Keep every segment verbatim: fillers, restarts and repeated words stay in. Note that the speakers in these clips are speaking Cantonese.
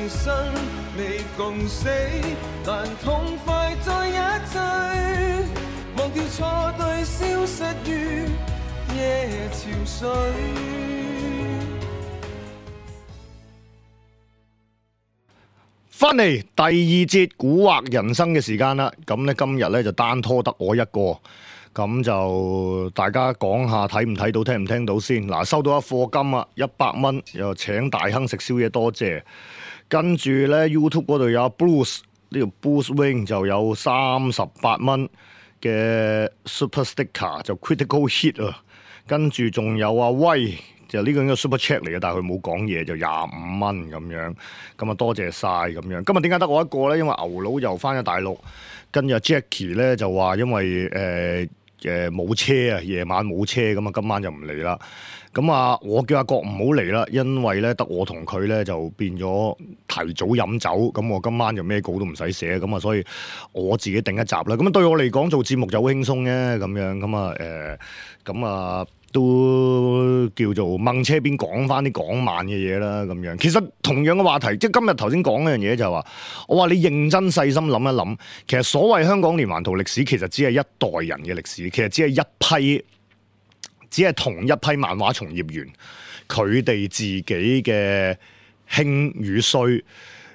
生未共死，但痛快在一追，忘掉錯對，消失於夜潮水。翻嚟第二節古惑人生嘅時間啦，咁咧今日咧就單拖得我一個，咁就大家講下睇唔睇到，聽唔聽到先。嗱，收到一課金啊，一百蚊，又請大亨食宵夜，多謝。跟住咧 YouTube 嗰度有 Bruce 呢條 Bruce Wing 就有三十八蚊嘅 Super Sticker 就 Critical Hit 啊，跟住仲有阿威。就呢個應該 super chat 嚟嘅，但係佢冇講嘢，就廿五蚊咁樣，咁啊多謝晒咁樣。今日點解得我一個咧？因為牛佬又翻咗大陸，跟住 Jackie 咧就話因為誒誒冇車啊，夜晚冇車，咁啊今晚就唔嚟啦。咁啊，我叫阿國唔好嚟啦，因為咧得我同佢咧就變咗提早飲酒，咁我今晚就咩稿都唔使寫，咁啊所以我自己定一集啦。咁啊對我嚟講做節目就好輕鬆嘅，咁樣咁啊誒，咁啊。都叫做掹車邊講翻啲港漫嘅嘢啦，咁樣其實同樣嘅話題，即係今日頭先講嗰樣嘢就係話，我話你認真細心諗一諗，其實所謂香港連環圖歷史，其實只係一代人嘅歷史，其實只係一批，只係同一批漫畫從業員佢哋自己嘅興與衰。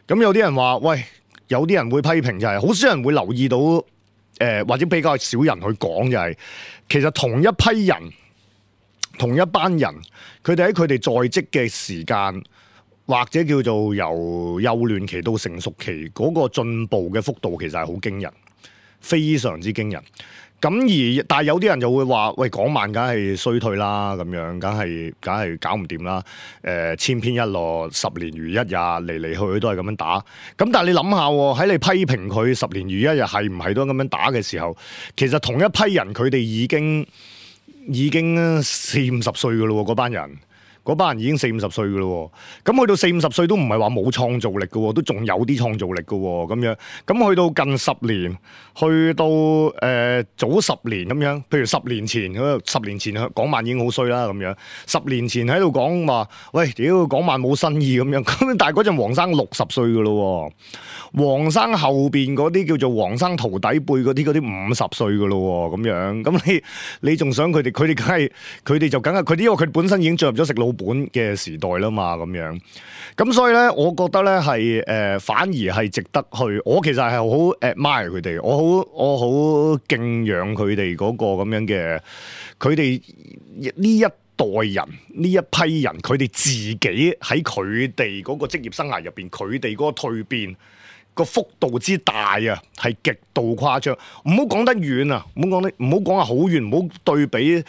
咁有啲人話，喂，有啲人會批評就係、是，好少人會留意到，誒、呃、或者比較少人去講就係、是，其實同一批人。同一班人，佢哋喺佢哋在職嘅時間，或者叫做由幼嫩期到成熟期，嗰、那個進步嘅幅度其實係好驚人，非常之驚人。咁而但係有啲人就會話：喂，港漫梗係衰退啦，咁樣梗係梗係搞唔掂啦。誒、呃，千篇一律，十年如一日，嚟嚟去去都係咁樣打。咁但係你諗下喎，喺你批評佢十年如一日係唔係都咁樣打嘅時候，其實同一批人佢哋已經。已經四五十歲噶咯，嗰班人，嗰班人已經四五十歲噶咯。咁去到四五十歲都唔係話冇創造力噶，都仲有啲創造力噶咁樣。咁去到近十年，去到誒、呃、早十年咁樣，譬如十年前，十年前港漫已經好衰啦咁樣。十年前喺度講話，喂，屌港漫冇新意咁樣。咁但係嗰陣黃生六十歲噶咯。黃生後邊嗰啲叫做黃生徒弟輩嗰啲嗰啲五十歲噶咯咁樣，咁你你仲想佢哋？佢哋梗係佢哋就梗係佢哋，因為佢哋本身已經進入咗食老本嘅時代啦嘛，咁樣。咁所以咧，我覺得咧係誒，反而係值得去。我其實係好 admire 佢哋，我好我好敬仰佢哋嗰個咁樣嘅，佢哋呢一代人呢一批人，佢哋自己喺佢哋嗰個職業生涯入邊，佢哋嗰個蛻變。個幅度之大啊，係極度誇張。唔好講得遠啊，唔好講得，唔好講話好遠，唔好對比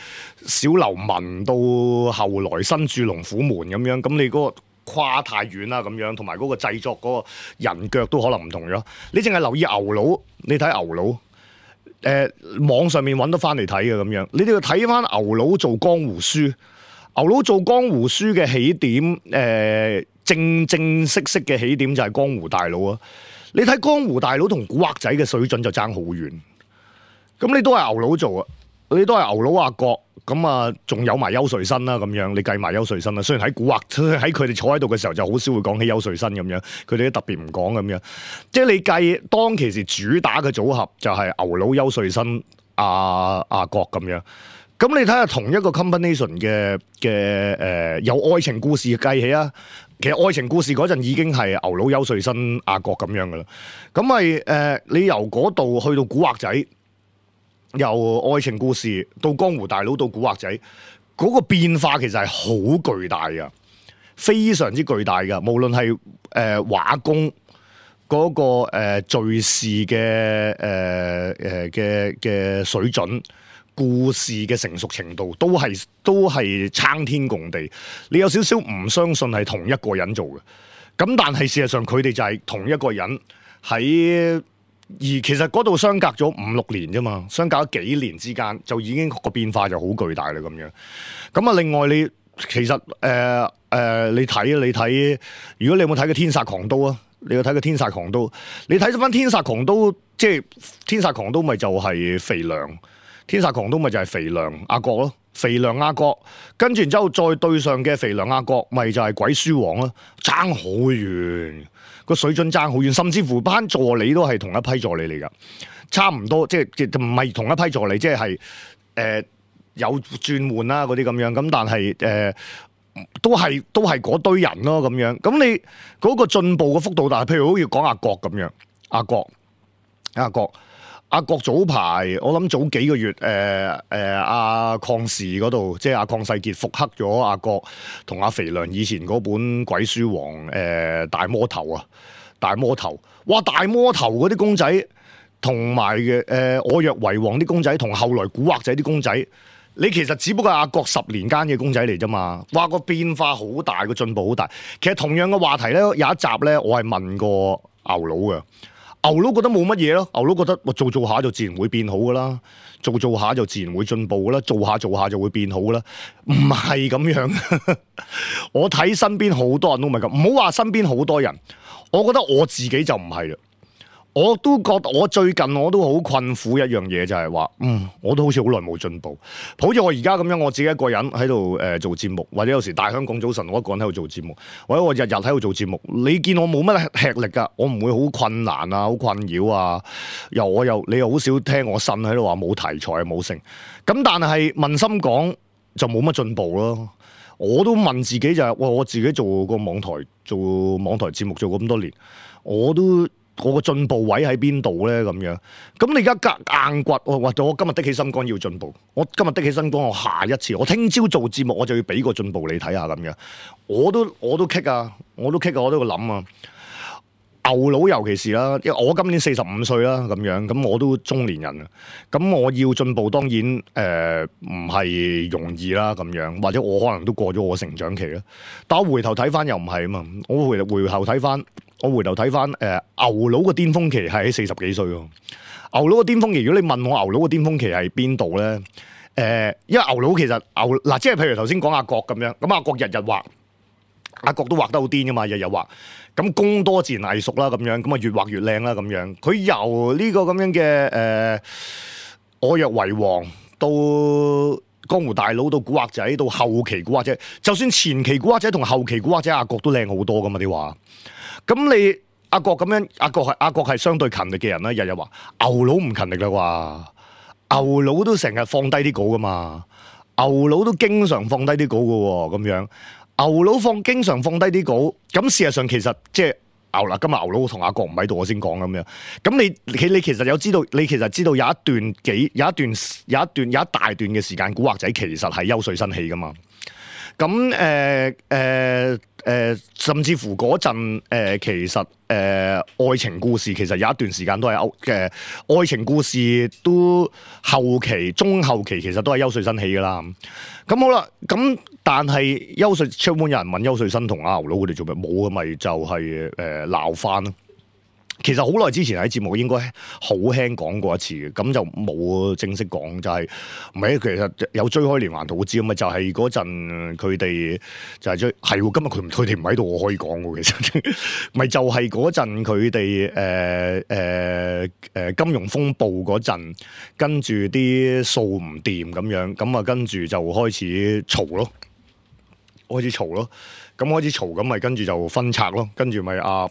小流氓到後來新住龍虎門咁樣。咁你嗰個跨太遠啦，咁樣同埋嗰個製作嗰個人腳都可能唔同咗。你淨係留意牛佬，你睇牛佬，誒、呃、網上面揾得翻嚟睇嘅咁樣。你哋要睇翻牛佬做江湖書，牛佬做江湖書嘅起點，誒、呃、正正式式嘅起點就係江湖大佬啊！你睇江湖大佬同古惑仔嘅水準就爭好遠，咁你都係牛佬做啊，你都係牛佬阿國，咁啊仲有埋邱瑞新啦咁樣，你計埋邱瑞新啦。雖然喺古惑喺佢哋坐喺度嘅時候就好少會講起邱瑞新咁樣，佢哋都特別唔講咁樣。即係你計當其時主打嘅組合就係牛佬、邱瑞新、阿阿國咁樣。咁你睇下同一個 combination 嘅嘅誒有愛情故事計起啊！其實愛情故事嗰陣已經係牛佬、邱瑞新、阿國咁樣噶啦，咁咪誒你由嗰度去到古惑仔，由愛情故事到江湖大佬到古惑仔，嗰、嗰個變化其實係好巨大噶，非常之巨大噶。無論係誒畫工嗰、嗰個誒敘事嘅誒誒嘅嘅水準。故事嘅成熟程度都係都係參天共地，你有少少唔相信係同一個人做嘅，咁但係事實上佢哋就係同一個人喺，而其實嗰度相隔咗五六年啫嘛，相隔咗幾年之間就已經個變化就好巨大啦咁樣。咁啊，另外你其實誒誒、呃呃，你睇你睇，如果你有冇睇過《天煞狂刀》啊？你有睇過《天煞狂刀》？你睇翻《天煞狂刀》，即係《天煞狂刀》咪就係肥良。天煞狂刀咪就係肥良阿國咯，肥良亞國，跟住然之後再對上嘅肥良亞國，咪就係鬼書王咯，爭好遠，個水準爭好遠，甚至乎班助理都係同一批助理嚟噶，差唔多，即係即唔係同一批助理，即係誒、呃、有轉換啦嗰啲咁樣，咁但係誒。呃都係都係嗰堆人咯，咁樣咁你嗰個進步嘅幅度大，譬如好似講阿國咁樣，阿國阿國阿國早排我諗早幾個月，誒誒阿鄺氏嗰度，即係阿鄺世傑復刻咗阿國同阿肥良以前嗰本鬼書王，誒、呃、大魔頭啊，大魔頭，哇大魔頭嗰啲公仔，同埋嘅誒我若為王啲公仔，同後來古惑仔啲公仔。你其實只不過係阿國十年間嘅公仔嚟啫嘛，哇個變化好大，個進步好大。其實同樣嘅話題咧，有一集咧，我係問過牛佬嘅，牛佬覺得冇乜嘢咯，牛佬覺得我做做下就自然會變好噶啦，做做下就自然會進步噶啦，做下做下就會變好噶啦，唔係咁樣。我睇身邊好多人都唔係咁，唔好話身邊好多人，我覺得我自己就唔係啦。我都覺得我最近我都好困苦一樣嘢，就係話，嗯，我都好似好耐冇進步。好似我而家咁樣，我自己一個人喺度誒做節目，或者有時大香港早晨我一個人喺度做節目，或者我日日喺度做節目。你見我冇乜吃力㗎，我唔會好困難啊，好困擾啊。又我又你又好少聽我呻喺度話冇題材冇成。咁但係問心講就冇乜進步咯。我都問自己就係、是，喂，我自己做個網台做網台節目做咁多年，我都。我個進步位喺邊度咧？咁樣，咁你而家夾硬掘，我話我今日的起心肝要進步，我今日的起心肝，我下一次，我聽朝做節目，我就要俾個進步你睇下咁樣。我都我都棘啊，我都棘啊，我都要諗啊。牛佬尤其是啦，因為我今年四十五歲啦，咁樣，咁我都中年人啊。咁我要進步，當然誒唔係容易啦，咁樣，或者我可能都過咗我成長期啦。但我回頭睇翻又唔係啊嘛，我回回頭睇翻。我回頭睇翻，誒、呃、牛佬嘅巔峰期係喺四十幾歲喎。牛佬嘅巔峰期，如果你問我牛佬嘅巔峰期係邊度咧？誒、呃，因為牛佬其實牛嗱，即係譬如頭先講阿國咁樣，咁阿國日日畫，阿國都畫得好癲噶嘛，日日畫。咁功多自然藝術啦，咁樣，咁啊越畫越靚啦，咁樣。佢由呢個咁樣嘅誒、呃，我若為王到江湖大佬，到古惑仔，到後期古惑仔，就算前期古惑仔同後期古惑仔，阿國都靚好多噶嘛啲畫。咁你阿國咁樣，阿國係阿國係相對勤力嘅人啦。日日話牛佬唔勤力啦啩，牛佬都成日放低啲稿噶嘛，牛佬都經常放低啲稿噶喎，咁樣牛佬放經常放低啲稿，咁事實上其實即係牛啦。今日牛佬同阿國唔喺度，我先講咁樣。咁你你你其實有知道，你其實知道有一段幾有一段有一段有一大段嘅時間，古惑仔其實係優帥新氣噶嘛。咁誒誒誒，甚至乎嗰陣誒，其實誒、呃、愛情故事其實有一段時間都係歐嘅愛情故事，都後期中後期其實都係優帥新起噶啦。咁好啦，咁但係優帥出門有人問優帥新同阿牛佬佢哋做咩冇嘅，咪就係誒鬧翻咯。其實好耐之前喺節目應該好輕講過一次嘅，咁就冇正式講，就係唔係？其實有追開連環圖紙咁啊，就係嗰陣佢哋就係追係喎。今日佢佢哋唔喺度，我可以講喎。其實咪就係嗰陣佢哋誒誒誒金融風暴嗰陣，跟住啲數唔掂咁樣，咁啊跟住就開始嘈咯，開始嘈咯，咁開始嘈咁咪跟住就分拆咯，跟住咪啊。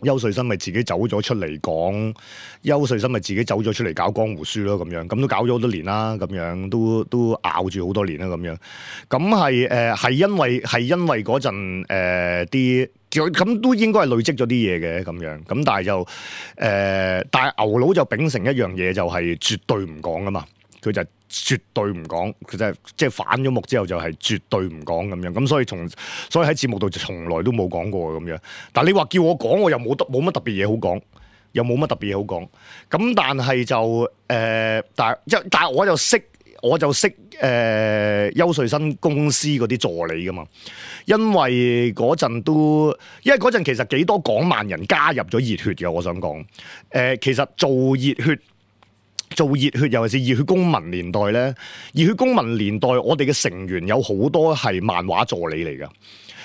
優帥新咪自己走咗出嚟講，優帥新咪自己走咗出嚟搞江湖書咯，咁樣咁都搞咗好多年啦，咁樣都都咬住好多年啦，咁樣咁係誒係因為係因為嗰陣誒啲咁都應該係累積咗啲嘢嘅咁樣，咁但係就誒、呃、但係牛佬就秉承一樣嘢，就係絕對唔講噶嘛，佢就絕對唔講，佢就係即係反咗目之後就係絕對唔講咁樣，咁所以從所以喺節目度就從來都冇講過咁樣。但係你話叫我講，我又冇得冇乜特別嘢好講，又冇乜特別嘢好講。咁但係就誒、呃，但係即但係我就識我就識誒、呃、優帥新公司嗰啲助理噶嘛，因為嗰陣都因為嗰陣其實幾多港萬人加入咗熱血嘅，我想講誒、呃，其實做熱血。做熱血，尤其是熱血公民年代咧，熱血公民年代我哋嘅成員有好多係漫畫助理嚟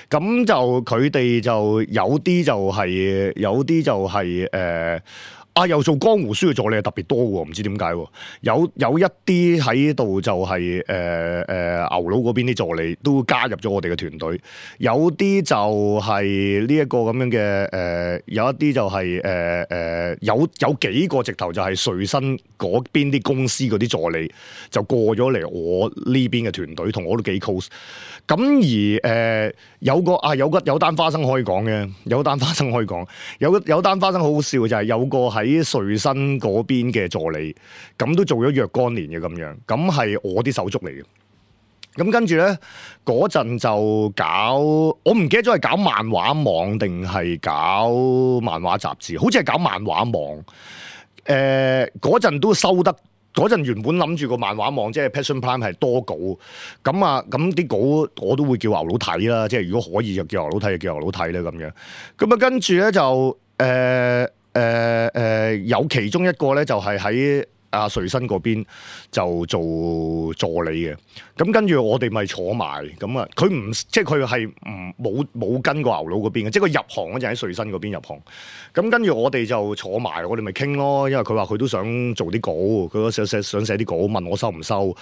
噶，咁就佢哋就有啲就係、是、有啲就係、是、誒、呃、啊，又做江湖書嘅助理係特別多喎，唔知點解喎。有有一啲喺度就係誒誒牛佬嗰邊啲助理都加入咗我哋嘅團隊，有啲就係呢一個咁樣嘅誒、呃，有一啲就係誒誒有有幾個直頭就係瑞新嗰邊啲公司嗰啲助理就過咗嚟我呢邊嘅團隊，同我都幾 close。咁而誒、呃、有個啊有個有單花生可以講嘅，有單花生可以講，有有單花生好好笑嘅就係、是、有個喺瑞新嗰邊嘅助理，咁都做咗若干年嘅咁樣，咁係我啲手足嚟嘅。咁跟住咧嗰陣就搞，我唔記得咗係搞漫畫網定係搞漫畫雜誌，好似係搞漫畫網。誒嗰陣都收得。嗰陣原本諗住個漫畫網即係 Passion Prime 係多稿，咁啊咁啲稿我都會叫牛佬睇啦，即係如果可以就叫牛佬睇就叫牛佬睇啦咁樣。咁啊跟住咧就誒誒誒有其中一個咧就係喺阿瑞新嗰邊就做助理嘅，咁跟住我哋咪坐埋，咁啊佢唔即係佢係唔冇冇跟過牛佬嗰邊嘅，即係佢入行嗰陣喺瑞新嗰邊入行，咁跟住我哋就坐埋，我哋咪傾咯，因為佢話佢都想做啲稿，佢都想寫想寫啲稿，問我收唔收，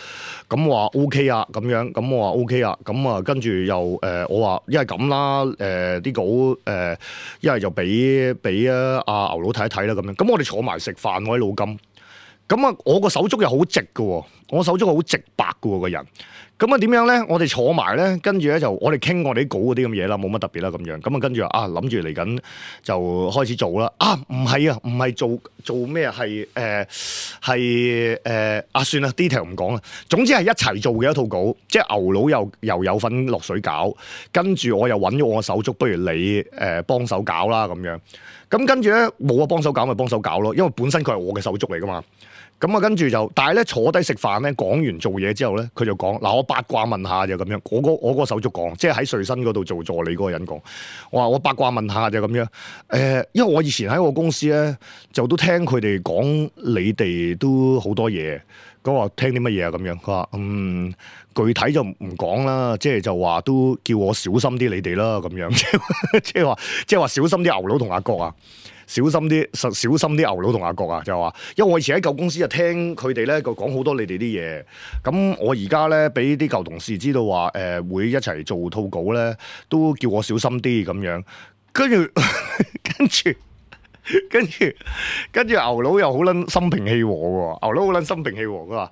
咁話 O K 啊咁樣，咁我話 O K 啊，咁啊跟住又誒、呃、我話一係咁啦，誒、呃、啲稿誒一係就俾俾啊阿牛佬睇一睇啦咁樣，咁我哋坐埋食飯，我喺老金。咁啊，我個手足又好直嘅，我手足好直白嘅個人。咁啊點樣咧？我哋坐埋咧，跟住咧就我哋傾我哋啲稿嗰啲咁嘢啦，冇乜特別啦咁樣。咁啊跟住啊諗住嚟緊就開始做啦。啊唔係啊，唔係做做咩啊？係誒係誒啊算啦 detail 唔講啦。總之係一齊做嘅一套稿，即係牛佬又又有份落水搞，跟住我又揾咗我個手足，不如你誒、呃、幫手搞啦咁樣。咁跟住咧冇啊，幫手搞咪幫手搞咯，因為本身佢係我嘅手足嚟噶嘛。咁啊，跟住就，但係咧坐低食飯咧，講完做嘢之後咧，佢就講嗱，我八卦問下就咁樣。我個我個手足講，即係喺瑞新嗰度做助理嗰個人講，我話我八卦問下就咁樣。誒、呃，因為我以前喺我公司咧，就都聽佢哋講你哋都好多嘢。咁我聽啲乜嘢啊？咁樣佢話嗯，具體就唔講啦，即係就話都叫我小心啲你哋啦，咁樣即係話即係話小心啲牛佬同阿國啊。小心啲，小心啲牛佬同阿國啊，就話，因為我以前喺舊公司就聽佢哋咧，就講好多你哋啲嘢。咁我而家咧，俾啲舊同事知道話，誒、呃、會一齊做套稿咧，都叫我小心啲咁樣。跟住，跟住，跟住，跟住牛佬又好撚心平氣和喎，牛佬好撚心平氣和，佢話。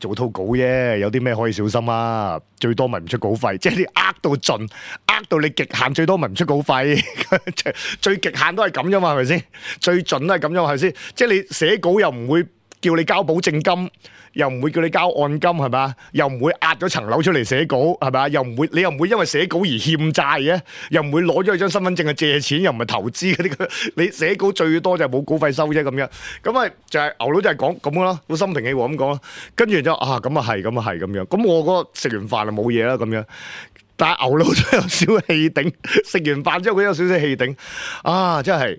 做套稿啫，有啲咩可以小心啊？最多咪唔出稿費，即係你呃到盡，呃到你極限，最多咪唔出稿費。最極限都係咁啫嘛，係咪先？最盡都係咁啫嘛，係咪先？即係你寫稿又唔會叫你交保證金，又唔會叫你交按金，係咪？又唔會壓咗層樓出嚟寫稿，係咪？又唔會，你又唔會因為寫稿而欠債嘅，又唔會攞咗佢張身份證去借錢，又唔係投資嗰啲。你寫稿最多就係冇稿費收啫，咁樣。咁咪就係牛佬就係講咁咯，好心平氣和咁講咯。跟住就啊，咁啊係，咁啊係咁樣。咁我嗰個食完飯就冇嘢啦，咁樣。但係牛佬都有少少氣頂，食完飯之後佢有少少氣頂。啊，真係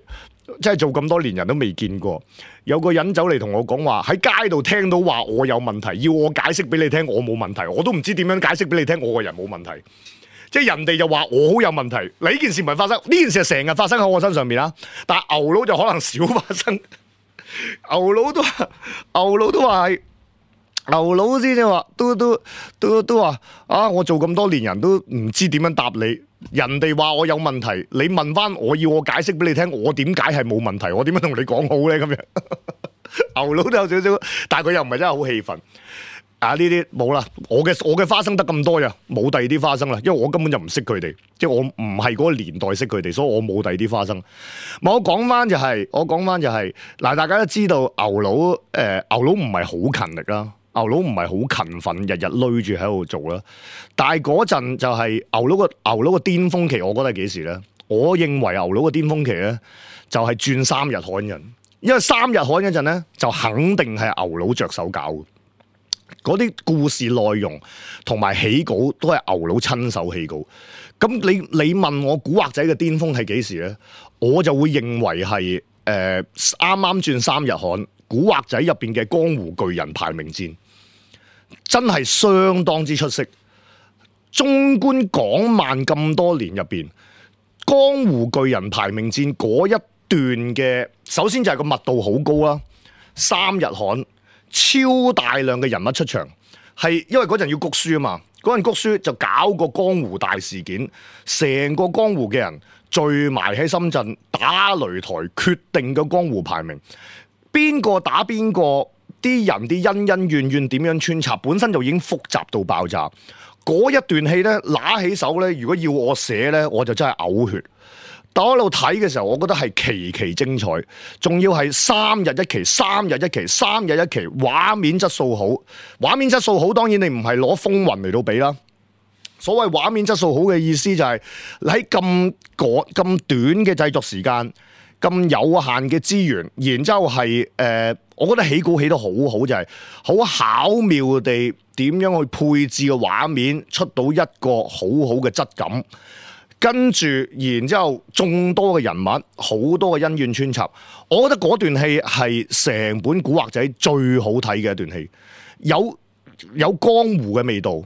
真係做咁多年人都未見過。有個人走嚟同我講話，喺街度聽到話我有問題，要我解釋俾你聽，我冇問題，我都唔知點樣解釋俾你聽，我個人冇問題。即係人哋就話我好有問題，嗱呢件事唔係發生，呢件事係成日發生喺我身上面啦。但係牛佬就可能少發生，牛佬都話，牛佬都話係。牛佬先至話，都都都都話啊！我做咁多年人都唔知點樣答你。人哋話我有問題，你問翻我要我解釋俾你聽，我點解係冇問題？我點樣同你講好咧？咁樣牛佬都有少少，但係佢又唔係真係好氣憤。啊！呢啲冇啦，我嘅我嘅花生得咁多呀，冇第二啲花生啦，因為我根本就唔識佢哋，即係我唔係嗰個年代識佢哋，所以我冇第二啲花生。我講翻就係、是，我講翻就係、是，嗱，大家都知道牛佬，誒、呃，牛佬唔係好勤力啦。牛佬唔係好勤奮，日日累住喺度做啦。但係嗰陣就係牛佬個牛佬個巔峰期，我覺得係幾時咧？我認為牛佬個巔峰期咧，就係轉三日刊人，因為三日刊嗰陣咧，就肯定係牛佬着手搞嘅。嗰啲故事內容同埋起稿都係牛佬親手起稿。咁你你問我古惑仔嘅巔峰係幾時咧？我就會認為係誒啱啱轉三日刊。古惑仔入邊嘅江湖巨人排名戰真係相當之出色。縱觀港漫咁多年入邊，江湖巨人排名戰嗰一段嘅，首先就係個密度好高啦，三日刊超大量嘅人物出場，係因為嗰陣要谷書啊嘛，嗰陣谷書就搞個江湖大事件，成個江湖嘅人聚埋喺深圳打擂台，決定個江湖排名，邊個打邊個，啲人啲恩恩怨怨點樣穿插，本身就已經複雜到爆炸。嗰一段戲呢，拿起手呢，如果要我寫呢，我就真係嘔血。但我喺度睇嘅時候，我覺得係期期精彩，仲要係三日一期，三日一期，三日一期，畫面質素好。畫面質素好，當然你唔係攞風雲嚟到比啦。所謂畫面質素好嘅意思就係喺咁咁短嘅製作時間，咁有限嘅資源，然之後係誒、呃，我覺得起稿起得好好，就係、是、好巧妙地點樣去配置個畫面，出到一個好好嘅質感。跟住，然之後眾多嘅人物，好多嘅恩怨穿插，我覺得嗰段戲係成本古惑仔最好睇嘅一段戲，有有江湖嘅味道，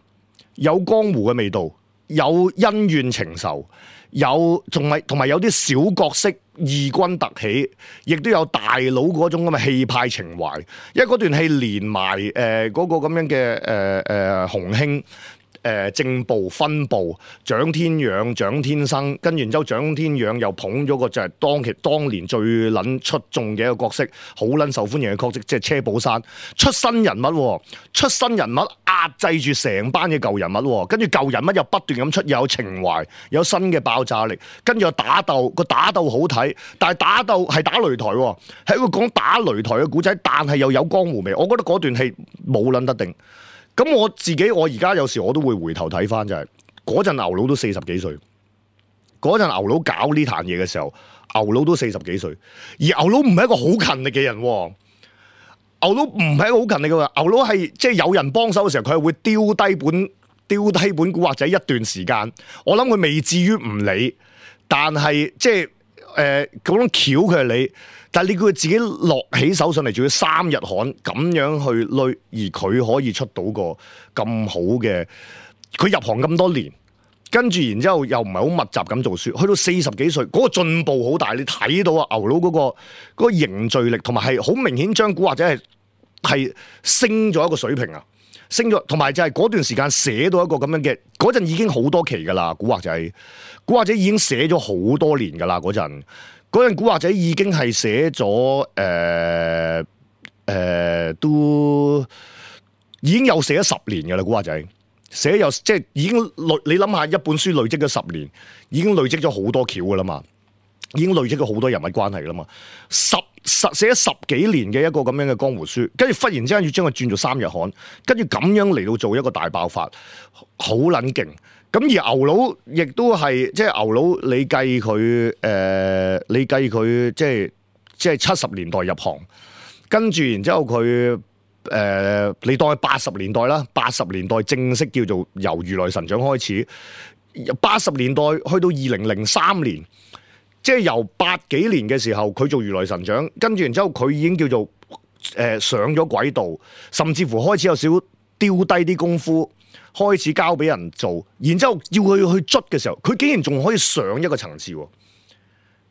有江湖嘅味道，有恩怨情仇，有仲係同埋有啲小角色異軍突起，亦都有大佬嗰種咁嘅氣派情懷，因為嗰段戲連埋誒嗰個咁樣嘅誒誒洪興。誒、呃、正部分部蔣天養蔣天生，跟住然之後蔣天養又捧咗個就係當其當年最撚出眾嘅一個角色，好撚受歡迎嘅角色，即係車寶山出新人物，出新人物壓制住成班嘅舊人物，跟住舊人物又不斷咁出，又有情懷，有新嘅爆炸力，跟住又打鬥，個打鬥好睇，但係打鬥係打擂台，係一個講打擂台嘅古仔，但係又有江湖味，我覺得嗰段戲冇撚得定。咁我自己，我而家有時我都會回頭睇翻，就係嗰陣牛佬都四十幾歲，嗰陣牛佬搞呢壇嘢嘅時候，牛佬都四十幾歲，而牛佬唔係一個好勤力嘅人，牛佬唔係一個好勤力嘅，牛佬係即係有人幫手嘅時候，佢係會丟低本丟低本古惑仔一段時間，我諗佢未至於唔理，但係即係誒嗰種橋佢係理。但係你叫佢自己落起手上嚟，仲要三日刊咁樣去累，而佢可以出到個咁好嘅，佢入行咁多年，跟住然之後又唔係好密集咁做書，去到四十幾歲，嗰個進步好大，你睇到啊牛佬嗰個嗰個凝聚力，同埋係好明顯將古惑仔係係升咗一個水平啊，升咗，同埋就係嗰段時間寫到一個咁樣嘅，嗰陣已經好多期噶啦，古惑仔，古惑仔已經寫咗好多年噶啦嗰陣。嗰陣古惑仔已經係寫咗誒誒，都已經有寫咗十年嘅啦。古惑仔寫有即係已經累，你諗下一本書累積咗十年，已經累積咗好多橋嘅啦嘛，已經累積咗好多人物關係嘅啦嘛。十十寫咗十幾年嘅一個咁樣嘅江湖書，跟住忽然之間要將佢轉做三日刊，跟住咁樣嚟到做一個大爆發，好撚勁。咁而牛佬亦都係即係牛佬，你計佢誒、呃，你計佢即係即係七十年代入行，跟住然之後佢誒、呃，你當佢八十年代啦，八十年代正式叫做由如來神掌開始，八十年代去到二零零三年，即係由八幾年嘅時候佢做如來神掌，跟住然之後佢已經叫做誒、呃、上咗軌道，甚至乎開始有少少丟低啲功夫。開始交俾人做，然之後要佢去捽嘅時候，佢竟然仲可以上一個層次。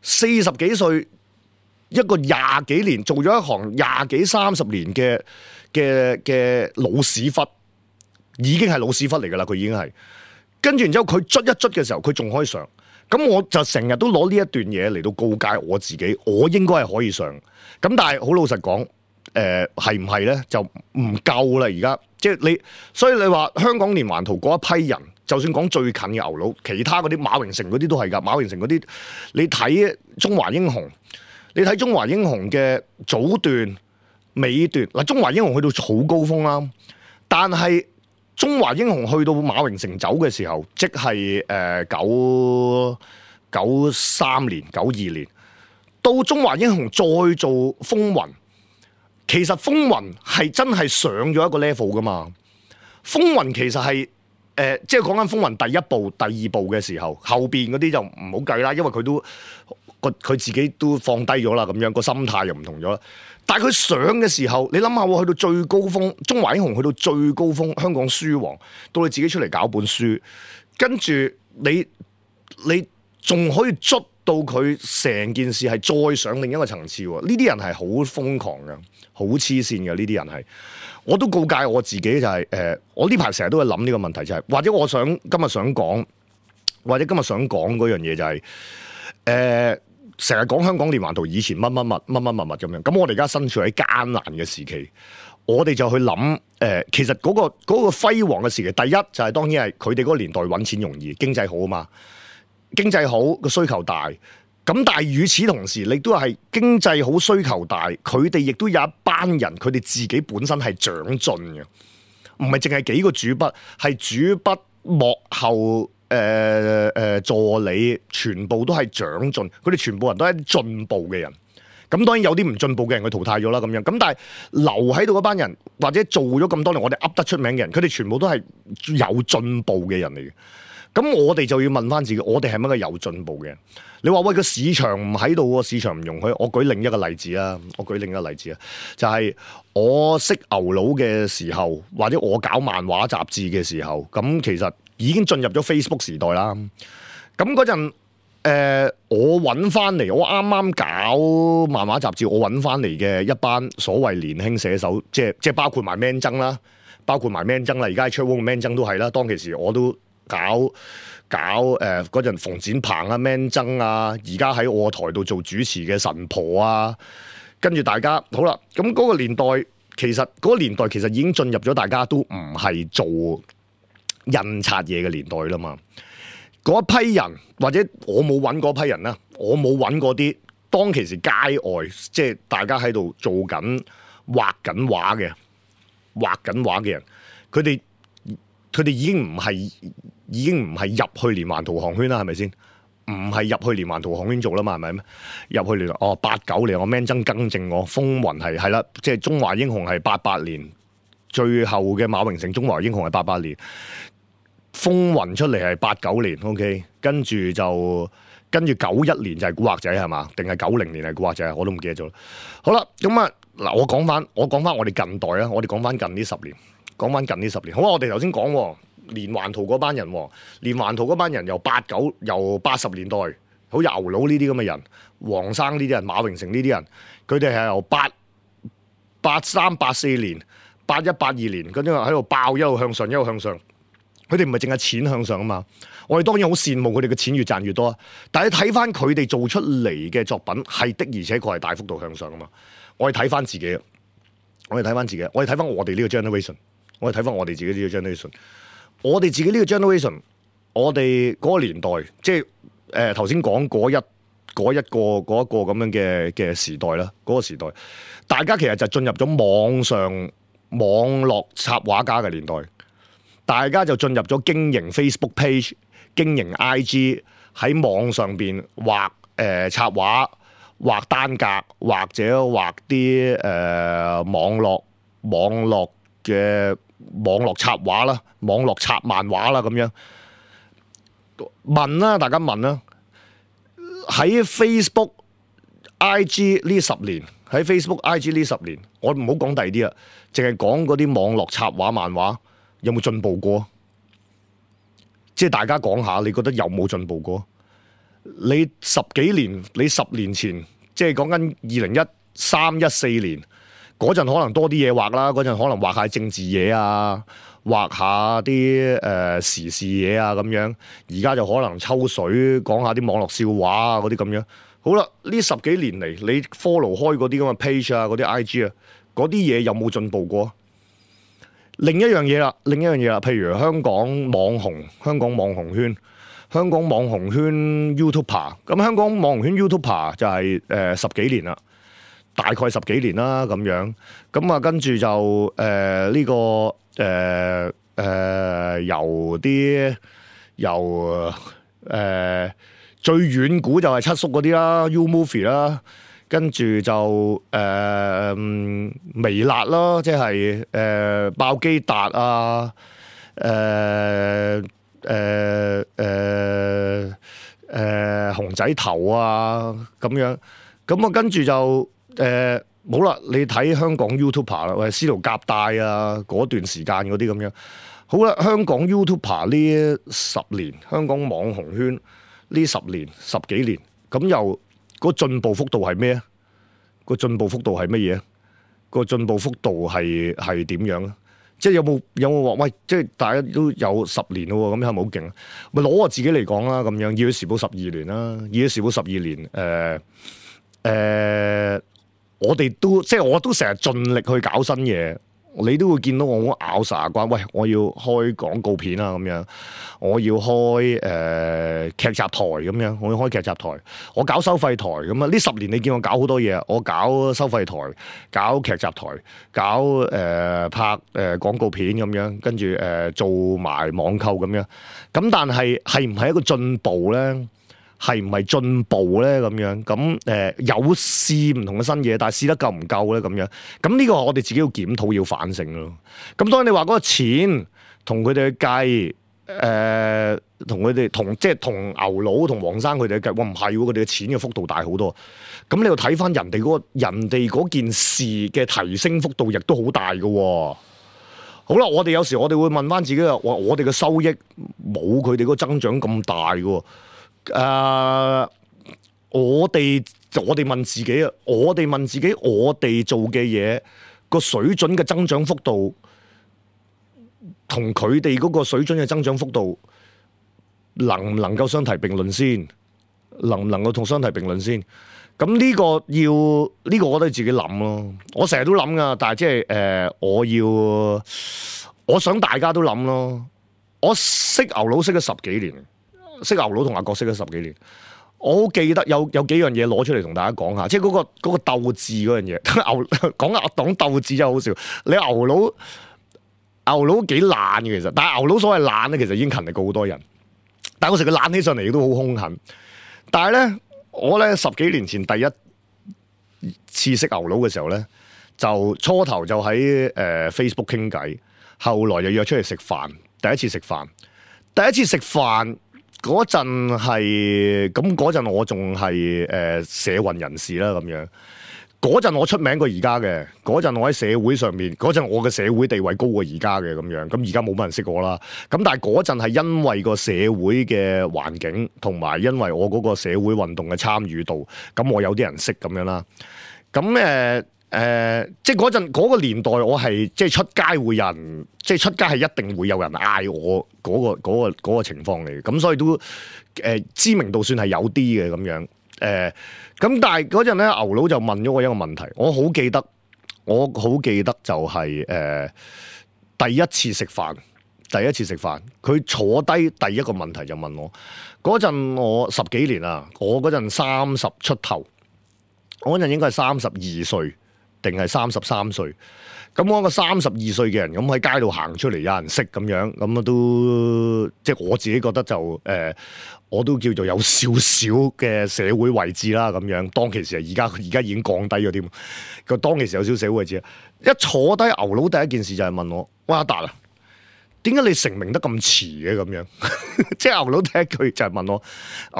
四十幾歲，一個廿幾年做咗一行廿幾三十年嘅嘅嘅老屎忽，已經係老屎忽嚟噶啦。佢已經係跟住，然之後佢捽一捽嘅時候，佢仲可以上。咁我就成日都攞呢一段嘢嚟到告誡我自己，我應該係可以上。咁但係好老實講。誒係唔係咧？就唔夠啦！而家即係你，所以你話香港連環圖嗰一批人，就算講最近嘅牛佬，其他嗰啲馬榮成嗰啲都係㗎。馬榮成嗰啲，你睇中華英雄，你睇中華英雄嘅早段、尾段嗱，中華英雄去到好高峰啦。但係中華英雄去到馬榮成走嘅時候，即係誒九九三年、九二年，到中華英雄再做風雲。其實風雲係真係上咗一個 level 噶嘛？風雲其實係誒、呃，即係講緊風雲第一部、第二部嘅時候，後邊嗰啲就唔好計啦，因為佢都個佢自己都放低咗啦，咁樣個心態又唔同咗啦。但係佢上嘅時候，你諗下喎，去到最高峰，中華英雄去到最高峰，香港書王，到你自己出嚟搞本書，跟住你你仲可以捽到佢成件事係再上另一個層次喎。呢啲人係好瘋狂嘅，好黐線嘅。呢啲人係，我都告誡我自己就係、是、誒、呃，我呢排成日都會諗呢個問題，就係、是、或者我想今日想講，或者今日想講嗰樣嘢就係、是、誒，成日講香港連環圖以前乜乜乜乜乜乜乜咁樣。咁我哋而家身處喺艱難嘅時期，我哋就去諗誒、呃，其實嗰、那個嗰、那個輝煌嘅時期，第一就係、是、當然係佢哋嗰個年代揾錢容易，經濟好啊嘛。經濟好個需求大，咁但係與此同時，你都係經濟好需求大，佢哋亦都有一班人，佢哋自己本身係長進嘅，唔係淨係幾個主筆，係主筆幕後誒誒、呃呃、助理，全部都係長進，佢哋全部人都係進步嘅人。咁當然有啲唔進步嘅人佢淘汰咗啦，咁樣咁但係留喺度嗰班人，或者做咗咁多年，我哋噏得出名嘅人，佢哋全部都係有進步嘅人嚟嘅。咁我哋就要問翻自己，我哋係咪一個有進步嘅？你話喂，個市場唔喺度喎，市場唔容許。我舉另一個例子啊，我舉另一個例子啊，就係、是、我識牛佬嘅時候，或者我搞漫畫雜誌嘅時候，咁其實已經進入咗 Facebook 時代啦。咁嗰陣誒，我揾翻嚟，我啱啱搞漫畫雜誌，我揾翻嚟嘅一班所謂年輕寫手，即係即係包括埋 Man 曾啦，包括埋 Man 曾啦，而家喺 Chatroom 嘅 Man 曾都係啦。當其時我都搞搞誒嗰陣馮展鵬啊 Man 曾啊，而家喺我台度做主持嘅神婆啊，跟住大家好啦，咁嗰個年代其實嗰個年代其實已經進入咗大家都唔係做印刷嘢嘅年代啦嘛。嗰一批人或者我冇揾嗰批人啦，我冇揾嗰啲當其時街外即係大家喺度做緊畫緊畫嘅畫緊畫嘅人，佢哋佢哋已經唔係已經唔係入去連環圖航圈啦，係咪先？唔係入去連環圖航圈做啦嘛，係咪咩？入去連哦八九年，我 Man 曾更正我，風雲係係啦，即係中華英雄係八八年，最後嘅馬榮成中華英雄係八八年，風雲出嚟係八九年 ，OK， 跟住就跟住九一年就係古惑仔係嘛？定係九零年係古惑仔？我都唔記得咗。好啦，咁啊嗱，我講翻我講翻我哋近代啊，我哋講翻近呢十年。講翻近呢十年，好啊！我哋頭先講連環圖嗰班人，連環圖嗰班人由八九由八十年代，好似牛佬呢啲咁嘅人，黃生呢啲人，馬榮成呢啲人，佢哋係由八八三八四年、八一八二年，跟住喺度爆，一路向上，一路向上。佢哋唔係淨係錢向上啊嘛！我哋當然好羨慕佢哋嘅錢越賺越多，但係睇翻佢哋做出嚟嘅作品係的，而且確係大幅度向上啊嘛！我哋睇翻自己，我哋睇翻自己，我哋睇翻我哋呢個 generation。我哋睇翻我哋自己呢個 generation，我哋自己呢個 generation，我哋嗰個年代，即係誒頭先講嗰一嗰一個嗰一個咁樣嘅嘅時代啦，嗰個時代，大家其實就進入咗網上網絡插畫家嘅年代，大家就進入咗經營 Facebook page、經營 I G 喺網上邊畫誒插畫、畫單格或者畫啲誒、呃、網絡網絡嘅網絡插畫啦，網絡插漫畫啦，咁樣問啦，大家問啦。喺 Facebook、I G 呢十年，喺 Facebook、I G 呢十年，我唔好講第二啲啦，淨係講嗰啲網絡插畫漫畫有冇進步過？即係大家講下，你覺得有冇進步過？你十幾年，你十年前，即係講緊二零一三、一四年。嗰陣可能多啲嘢畫啦，嗰陣可能畫下政治嘢啊，畫下啲誒、呃、時事嘢啊咁樣。而家就可能抽水講下啲網絡笑話啊嗰啲咁樣。好啦，呢十幾年嚟，你 follow 開嗰啲咁嘅 page 啊，嗰啲 I G 啊，嗰啲嘢有冇進步過？另一樣嘢啦，另一樣嘢啦，譬如香港網紅、香港網紅圈、香港網紅圈 YouTuber， 咁香港網紅圈 YouTuber 就係、是、誒、呃、十幾年啦。大概十幾年啦咁樣，咁啊跟住就誒呢、呃這個誒誒、呃、由啲由誒、呃、最遠古就係七叔嗰啲啦 ，U-Movie 啦，跟住就誒、呃、微辣啦，即係誒、呃、爆機達啊，誒誒誒誒熊仔頭啊咁樣，咁啊跟住就。誒，好啦、呃，你睇香港 YouTuber 啦，或者司徒夾帶啊，嗰段時間嗰啲咁樣，好啦，香港 YouTuber 呢十年，香港網紅圈呢十年十幾年，咁又個進步幅度係咩啊？個進步幅度係乜嘢啊？個進步幅度係係點樣啊？即係有冇有冇話喂？即係大家都有十年咯，咁係咪好勁啊？咪攞我自己嚟講啦，咁樣《熱血時報》十二年啦，《熱血時報》十二年，誒、呃、誒、呃，我哋都即係我都成日盡力去搞新嘢。你都會見到我好咬實牙關，喂！我要開廣告片啊，咁樣，我要開誒、呃、劇集台咁樣，我要開劇集台，我搞收費台咁啊！呢十年你見我搞好多嘢，我搞收費台，搞劇集台，搞誒、呃、拍誒、呃、廣告片咁樣，跟住誒做埋網購咁樣。咁但係係唔係一個進步咧？係唔係進步咧？咁樣咁誒、呃、有試唔同嘅新嘢，但係試得夠唔夠咧？咁樣咁呢個我哋自己要檢討要反省咯。咁當然你話嗰個錢同佢哋去計，誒同佢哋同即係同牛佬同黃生佢哋去計，哇唔係喎，佢哋嘅錢嘅幅度大好多。咁你要睇翻人哋嗰、嗰個人哋嗰件事嘅提升幅度，亦都好大嘅。好啦，我哋有時我哋會問翻自己話，我哋嘅收益冇佢哋嗰個增長咁大嘅。誒、uh，我哋我哋問自己啊，我哋問自己，我哋做嘅嘢個水準嘅增長幅度，同佢哋嗰個水準嘅增長幅度，能唔能夠相提並論先？能唔能夠同相提並論先？咁呢個要呢、呢個我都自己諗咯。我成日都諗噶，但係即係誒，我要我想大家都諗咯。我識牛佬識咗十幾年。識牛佬同阿國識咗十幾年，我好記得有有幾樣嘢攞出嚟同大家講下，即係嗰、嗰個嗰、嗰個鬥志嗰樣嘢。牛講阿黨鬥志真係好笑。你牛佬牛佬幾懶嘅其實，但係牛佬所謂懶咧，其實已經勤力過好多人。但係嗰時佢懶起上嚟亦都好兇狠。但係咧，我咧十幾年前第一次識牛佬嘅時候咧，就初頭就喺誒、呃、Facebook 傾偈，後來就約出嚟食飯。第一次食飯，第一次食飯。嗰陣係咁，嗰陣我仲係誒社運人士啦，咁樣嗰陣我出名過而家嘅，嗰陣我喺社會上面，嗰陣我嘅社會地位高過而家嘅咁樣，咁而家冇乜人識我啦。咁但係嗰陣係因為個社會嘅環境，同埋因為我嗰個社會運動嘅參與度，咁我有啲人識咁樣啦。咁誒。誒、呃，即係嗰陣嗰個年代，我係即係出街會有人，即係出街係一定會有人嗌我嗰、嗰個嗰、嗰個嗰個情況嚟嘅，咁所以都誒、呃、知名度算係有啲嘅咁樣。誒、呃，咁但係嗰陣咧，牛佬就問咗我一個問題，我好記得，我好記得就係、是、誒、呃、第一次食飯，第一次食飯，佢坐低第一個問題就問我，嗰陣我十幾年啦，我嗰陣三十出頭，我嗰陣應該係三十二歲。定係三十三歲，咁我一個三十二歲嘅人，咁喺街度行出嚟，有人識咁樣，咁啊都即係我自己覺得就誒、呃，我都叫做有少少嘅社會位置啦，咁樣。當其時啊，而家而家已經降低咗添。個當其時有少少社會位置，一坐低牛佬第一件事就係問我：喂，阿達啊，點解你成名得咁遲嘅咁樣？即係牛佬第一句就係問我，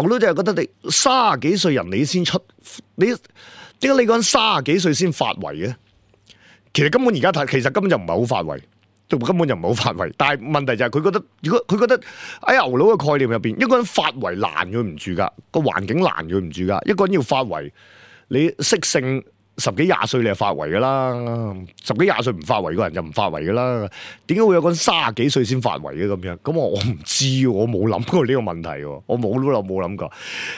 牛佬就係覺得你三十幾歲人你先出你。點解你嗰陣三十幾歲先發圍嘅？其實根本而家睇，其實根本就唔係好發圍，根本就唔係好發圍。但係問題就係佢覺得，如果佢覺得喺牛佬嘅概念入邊，一個人發圍難佢唔住噶，個環境難佢唔住噶。一個人要發圍，你識性十幾廿歲你就發圍噶啦，十幾廿歲唔發圍個人就唔發圍噶啦。點解會有個人三十幾歲先發圍嘅咁樣？咁我我唔知，我冇諗過呢個問題，我冇都冇諗過。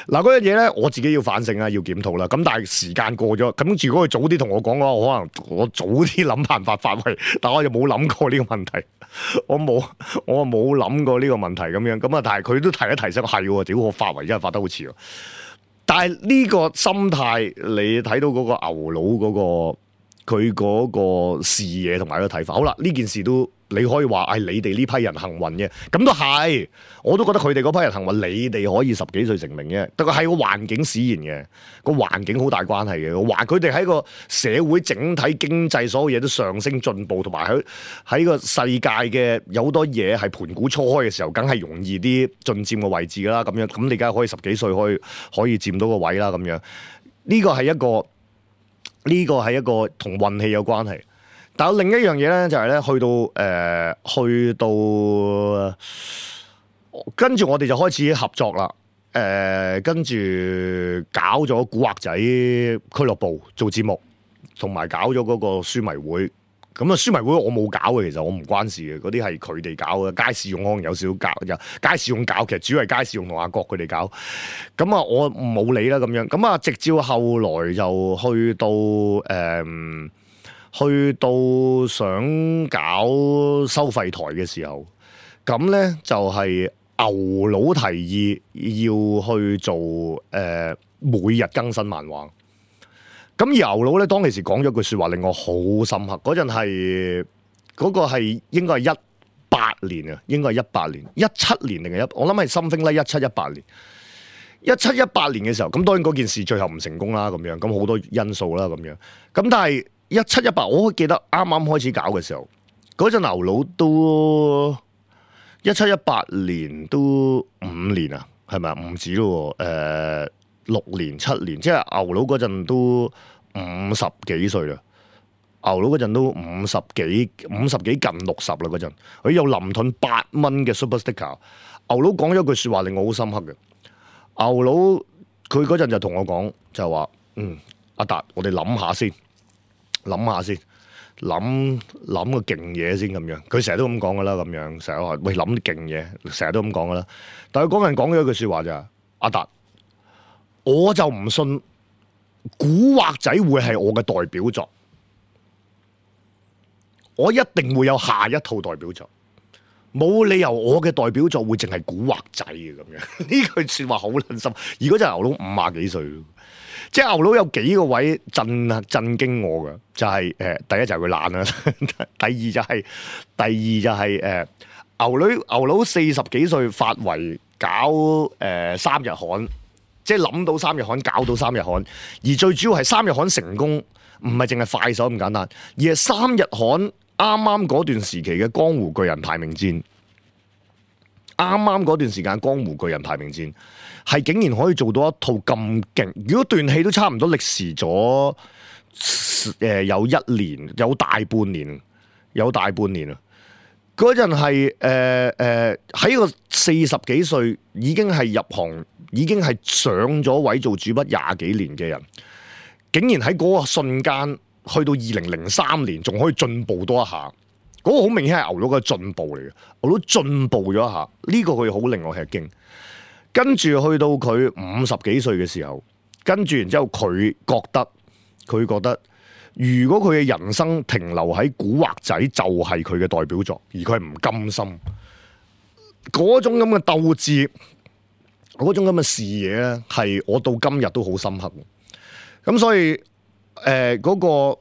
嗱，嗰樣嘢咧，我自己要反省啦，要檢討啦。咁但係時間過咗，咁如果佢早啲同我講嘅話，我可能我早啲諗辦法發圍，但我就冇諗過呢個問題，我冇我冇諗過呢個問題咁樣。咁啊，但係佢都提一提醒，係，屌我發圍真係發得好遲。但係呢個心態，你睇到嗰個牛佬嗰個佢嗰個視野同埋個睇法，好啦，呢件事都你可以話係你哋呢批人幸運嘅，咁都係，我都覺得佢哋嗰批人幸運，你哋可以十幾歲成名嘅，但係係個環境使然嘅，個環境好大關係嘅，話佢哋喺個社會整體經濟所有嘢都上升進步，同埋喺喺個世界嘅有好多嘢係盤古初開嘅時候，梗係容易啲進佔個位置㗎啦，咁樣，咁你梗係可以十幾歲可以可以佔到個位啦，咁樣，呢個係一個呢個係一個同運氣有關係。但有另一樣嘢咧，就係咧，去到誒、呃，去到跟住我哋就開始合作啦。誒、誒跟住搞咗古惑仔俱樂部做節目，同埋搞咗嗰個書迷會。咁啊，書迷會我冇搞嘅，其實我唔關事嘅，嗰啲係佢哋搞嘅。街市用可能有少少搞，有街市用搞，其實主要係街市用同阿國佢哋搞。咁啊，我冇理啦咁樣。咁啊，直至後來就去到誒、嗯，去到想搞收費台嘅時候，咁咧就係、是、牛佬提議要去做誒、呃、每日更新漫畫。咁牛佬咧當其時講咗句說話令我好深刻，嗰陣係嗰個係應該係一八年啊，應該係一八年、一七年定係一，我諗係 something like 一七一八年，一七一八年嘅時候，咁當然嗰件事最後唔成功啦，咁樣咁好多因素啦，咁樣咁但係一七一八，我記得啱啱開始搞嘅時候，嗰陣牛佬都一七一八年都五年啊，係咪啊？唔止咯，誒、呃。六年七年，即係牛佬嗰陣都五十幾歲啦。牛佬嗰陣都五十幾、五十幾近六十啦嗰陣。佢有林盾八蚊嘅 Super Sticker。牛佬講咗句説話令我好深刻嘅。牛佬佢嗰陣就同我講，就話：嗯，阿達，我哋諗下先，諗下先，諗諗個勁嘢先咁樣。佢成日都咁講噶啦，咁樣成日話喂諗啲勁嘢，成日都咁講噶啦。但係嗰陣講咗一句説話就係：阿達。我就唔信古惑仔會係我嘅代表作，我一定會有下一套代表作，冇理由我嘅代表作會淨係古惑仔嘅咁樣。呢句說話好撚深，而嗰隻牛佬五廿幾歲，即係牛佬有幾個位震震驚我嘅，就係、是、誒、呃，第一就係佢懶啦，第二就係、是、第二就係、是、誒、呃，牛女牛佬四十幾歲發圍搞誒、呃、三日刊。即係諗到三日刊，搞到三日刊，而最主要係三日刊成功，唔係淨係快手咁簡單，而係三日刊啱啱嗰段時期嘅江湖巨人排名戰，啱啱嗰段時間江湖巨人排名戰係竟然可以做到一套咁勁，如果段戲都差唔多歷時咗誒、呃、有一年，有大半年，有大半年啊！嗰陣係誒誒喺個四十幾歲已經係入行，已經係上咗位做主筆廿幾年嘅人，竟然喺嗰個瞬間去到二零零三年仲可以進步多一下，嗰、那個好明顯係牛佬嘅進步嚟嘅，牛佬進步咗一下，呢、這個佢好令我吃驚。跟住去到佢五十幾歲嘅時候，跟住然之後佢覺得佢覺得。如果佢嘅人生停留喺古惑仔，就係佢嘅代表作，而佢係唔甘心，嗰種咁嘅鬥志，嗰種咁嘅視野咧，係我到今日都好深刻。咁所以，誒、呃、嗰、那個誒、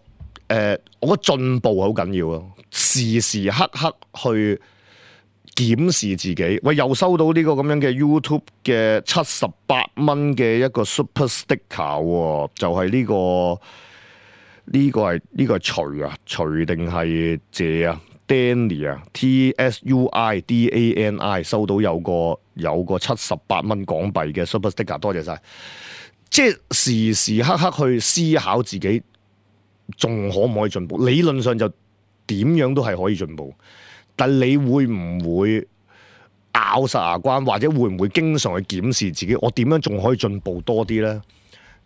呃，我覺得進步好緊要咯，時時刻刻去檢視自己。喂，又收到呢個咁樣嘅 YouTube 嘅七十八蚊嘅一個 Super Sticker，就係呢、這個。呢個係呢個係徐啊，徐定係謝啊 ，Danny 啊 ，T S U I D A N I 收到有個有個七十八蚊港幣嘅 Super Sticker， 多謝晒。即係時時刻刻去思考自己仲可唔可以進步？理論上就點樣都係可以進步，但你會唔會咬實牙關，或者會唔會經常去檢視自己？我點樣仲可以進步多啲呢？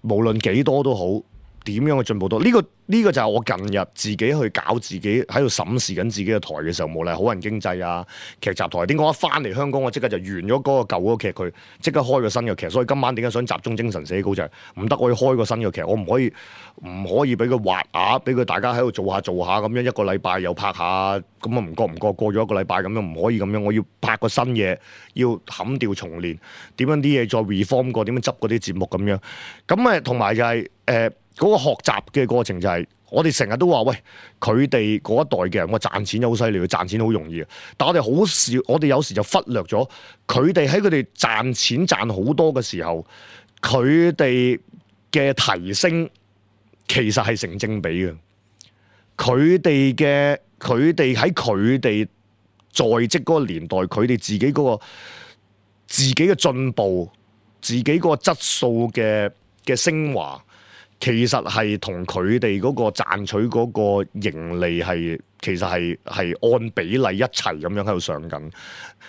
無論幾多都好。點樣去進步到？呢、這個呢、這個就係我近日自己去搞自己喺度審視緊自己嘅台嘅時候，無論係好人經濟啊、劇集台，點講？一翻嚟香港，我即刻就完咗嗰個舊嗰個劇，佢即刻開個新嘅劇。所以今晚點解想集中精神寫稿就係唔得，我要開個新嘅劇，我唔可以唔可以俾佢滑牙，俾佢大家喺度做下做下咁樣，一個禮拜又拍下，咁啊唔覺唔覺過咗一個禮拜咁樣，唔可以咁樣。我要拍個新嘢，要砍掉重練，點樣啲嘢再 reform 過，點樣執嗰啲節目咁樣。咁誒同埋就係、是、誒。呃嗰個學習嘅過程就係、是，我哋成日都話喂，佢哋嗰一代嘅人，我賺錢好犀利，賺錢好容易。但我哋好少，我哋有時就忽略咗，佢哋喺佢哋賺錢賺好多嘅時候，佢哋嘅提升其實係成正比嘅。佢哋嘅佢哋喺佢哋在職嗰個年代，佢哋自己嗰個自己嘅進步，自己嗰個質素嘅嘅升華。其實係同佢哋嗰個賺取嗰個盈利係其實係係按比例一齊咁樣喺度上緊。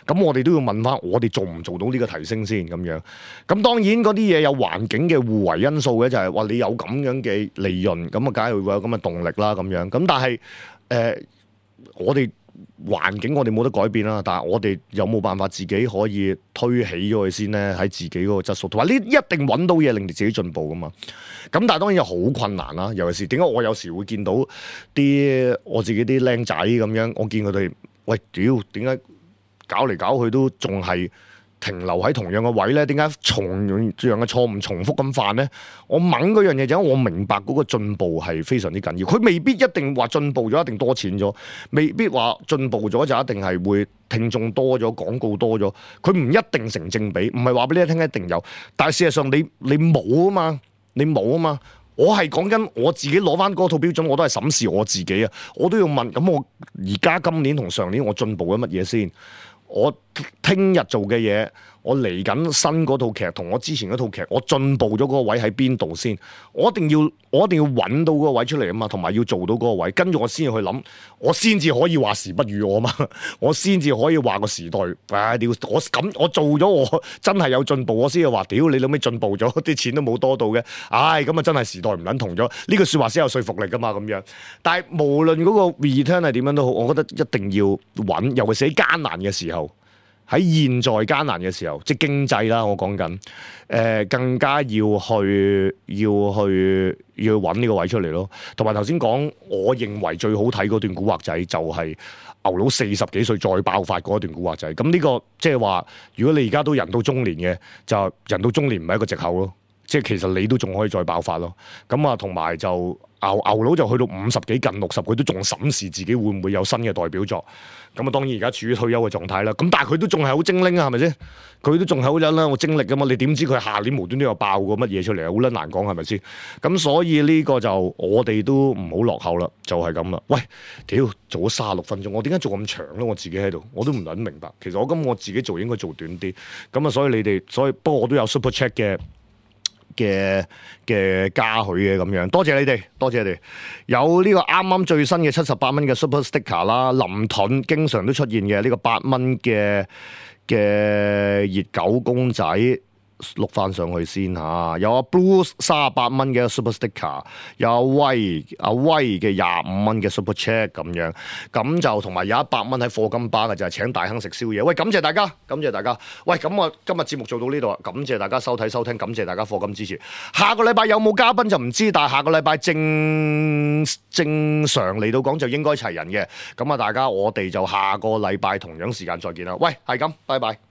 咁我哋都要問翻，我哋做唔做到呢個提升先咁樣？咁當然嗰啲嘢有環境嘅互為因素嘅，就係、是、話你有咁樣嘅利潤，咁啊梗係會有咁嘅動力啦咁樣。咁但係誒、呃，我哋環境我哋冇得改變啦，但係我哋有冇辦法自己可以推起咗佢先咧？喺自己嗰個質素，同埋呢一定揾到嘢令你自己進步噶嘛。咁但係當然又好困難啦，尤其是點解我有時會見到啲我自己啲僆仔咁樣，我見佢哋喂屌點解？搞嚟搞去都仲係停留喺同樣嘅位咧，點解同樣嘅錯誤重複咁犯咧？我掹嗰樣嘢就係我明白嗰個進步係非常之緊要，佢未必一定話進步咗一定多錢咗，未必話進步咗就一定係會聽眾多咗、廣告多咗，佢唔一定成正比，唔係話俾你聽一定有，但係事實上你你冇啊嘛，你冇啊嘛。我係講緊我自己攞翻嗰套標準，我都係審視我自己啊！我都要問，咁我而家今年同上年我進步咗乜嘢先？我聽日做嘅嘢，我嚟緊新嗰套劇同我之前嗰套劇，我進步咗嗰個位喺邊度先？我一定要，我一定要揾到嗰個位出嚟啊嘛，同埋要做到嗰個位，跟住我先至去諗，我先至可以話時不與我嘛，我先至可以話個時代，唉屌！我咁我做咗我真係有進步，我先至話屌你老味進步咗，啲錢都冇多到嘅，唉咁啊真係時代唔撚同咗，呢句説話先有說服力噶嘛咁樣。但係無論嗰個 return 係點樣都好，我覺得一定要揾，尤其是喺艱難嘅時候。喺現在艱難嘅時候，即係經濟啦，我講緊，誒、呃、更加要去要去要揾呢個位出嚟咯。同埋頭先講，我認為最好睇嗰段古惑仔就係牛佬四十幾歲再爆發嗰段古惑仔。咁呢、這個即係話，如果你而家都人到中年嘅，就人到中年唔係一個藉口咯。即係其實你都仲可以再爆發咯。咁啊，同埋就牛牛佬就去到五十幾近六十，佢都仲審視自己會唔會有新嘅代表作。咁啊，當然而家處於退休嘅狀態啦。咁但係佢都仲係好精靈啊，係咪先？佢都仲係好有啦，我精力噶嘛。你點知佢下年無端端又爆過乜嘢出嚟啊？好撚難講係咪先？咁所以呢個就我哋都唔好落後啦，就係咁啦。喂，屌，做咗卅六分鐘，我點解做咁長咧？我自己喺度，我都唔撚明白。其實我今我自己做應該做短啲。咁啊，所以你哋，所以不過我都有 super check 嘅。嘅嘅嘉許嘅咁樣，多謝你哋，多謝你哋。有呢個啱啱最新嘅七十八蚊嘅 Super Sticker 啦，林盾經常都出現嘅呢個八蚊嘅嘅熱狗公仔。碌翻上去先嚇，有阿 Bruce 三十八蚊嘅 Super Sticker， 有阿威阿威嘅廿五蚊嘅 Super Chat 咁樣，咁就同埋有一百蚊喺課金巴嘅就係、是、請大亨食宵夜。喂，感謝大家，感謝大家。喂，咁我今日節目做到呢度，感謝大家收睇收聽，感謝大家課金支持。下個禮拜有冇嘉賓就唔知，但係下個禮拜正正常嚟到講就應該齊人嘅。咁啊，大家我哋就下個禮拜同樣時間再見啦。喂，係咁，拜拜。